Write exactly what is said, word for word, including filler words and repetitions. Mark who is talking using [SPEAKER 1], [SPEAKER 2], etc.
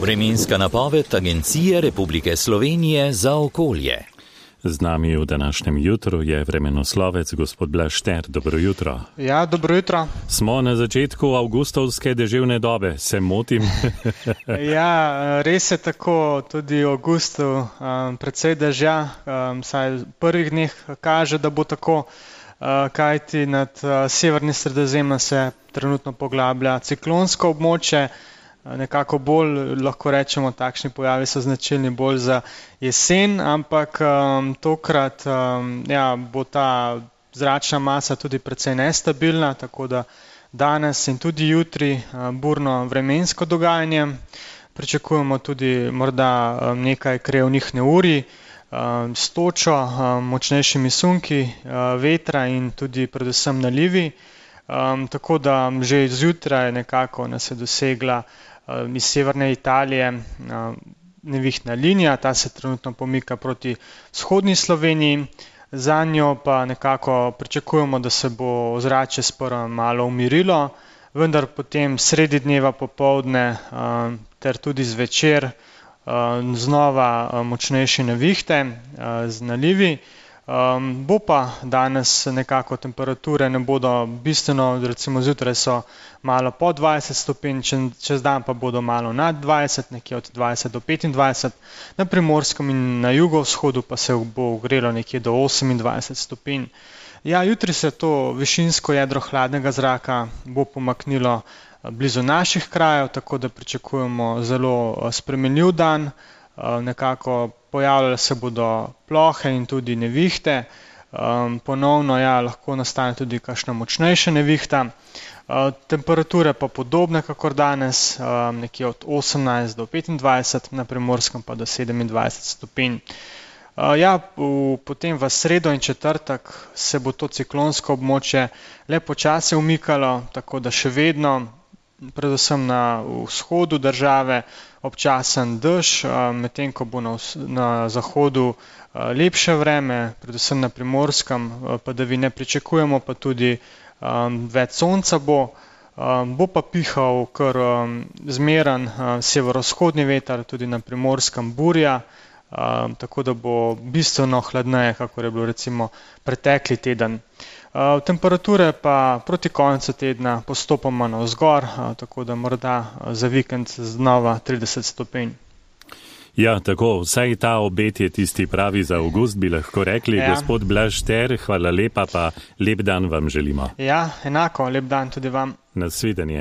[SPEAKER 1] Vremenska napoved Agencije Republike Slovenije za okolje.
[SPEAKER 2] Z nami v današnjem jutru je vremenoslovec gospod Blaž Šter. Dobro jutro.
[SPEAKER 3] Ja, dobro jutro.
[SPEAKER 2] Smo na začetku avgustovske deževne dobe, se motim?
[SPEAKER 3] Ja, res je tako, tudi v avgustu um, precej dežja, um, saj v prvih dneh kaže, da bo tako, uh, kajti nad uh, severni Sredozemljem se trenutno poglablja ciklonsko območje. Nekako bolj, lahko rečemo, takšni pojavi so značilni bolj za jesen, ampak um, tokrat um, ja, bo ta zračna masa tudi precej nestabilna, tako da danes in tudi jutri um, burno vremensko dogajanje. Pričakujemo tudi morda um, nekaj krevnih neurij um, s točo, um, močnejšimi sunki, uh, vetra in tudi predvsem nalivi. Um, tako da že zjutraj nekako nas je dosegla um, iz severne Italije um, nevihtna linija, ta se trenutno pomika proti vzhodni Sloveniji, za njo pa nekako pričakujemo, da se bo ozračje sprva malo umirilo, vendar potem sredi dneva popoldne um, ter tudi zvečer um, znova um, močnejše nevihte um, z nalivi. Um, bo pa danes nekako temperature ne bodo bistveno, recimo zjutraj so malo pod dvajset stopinj, čez dan pa bodo malo nad dvajset, nekje od dvajset do petindvajset, na Primorskem in na jugovzhodu pa se bo ogrelo nekje do osemindvajset stopinj. Ja, jutri se to višinsko jedro hladnega zraka bo pomaknilo blizu naših krajev, tako da pričakujemo zelo spremenljiv dan. Nekako pojavljale se bodo plohe in tudi nevihte, um, ponovno ja, lahko nastane tudi kakšna močnejša nevihta. Uh, temperature pa podobne kakor danes, um, nekje od osemnajst do petindvajset, na Primorskem pa do sedemindvajset stopinj. Uh, ja, v, potem v sredo in četrtek se bo to ciklonsko območje le počasi umikalo, tako da še vedno, predvsem na vzhodu države, občasen dež, medtem ko bo na, na zahodu lepše vreme, predvsem na Primorskem, padavine pričakujemo, pa tudi um, več sonca bo. Um, bo pa pihal kar um, zmeren um, severovzhodni veter, tudi na Primorskem burja, um, tako da bo bistveno hladneje, kakor je bilo recimo pretekli teden. Uh, temperature pa proti koncu tedna postopoma navzgor, uh, tako da morda za vikend znova trideset stopinj.
[SPEAKER 2] Ja, tako, vsaj ta obet je tisti pravi za avgust, bi lahko rekli. Ja. Gospod Blaž Šter, hvala lepa, pa lep dan vam želimo.
[SPEAKER 3] Ja, enako, lep dan tudi vam.
[SPEAKER 2] Nasvidenje.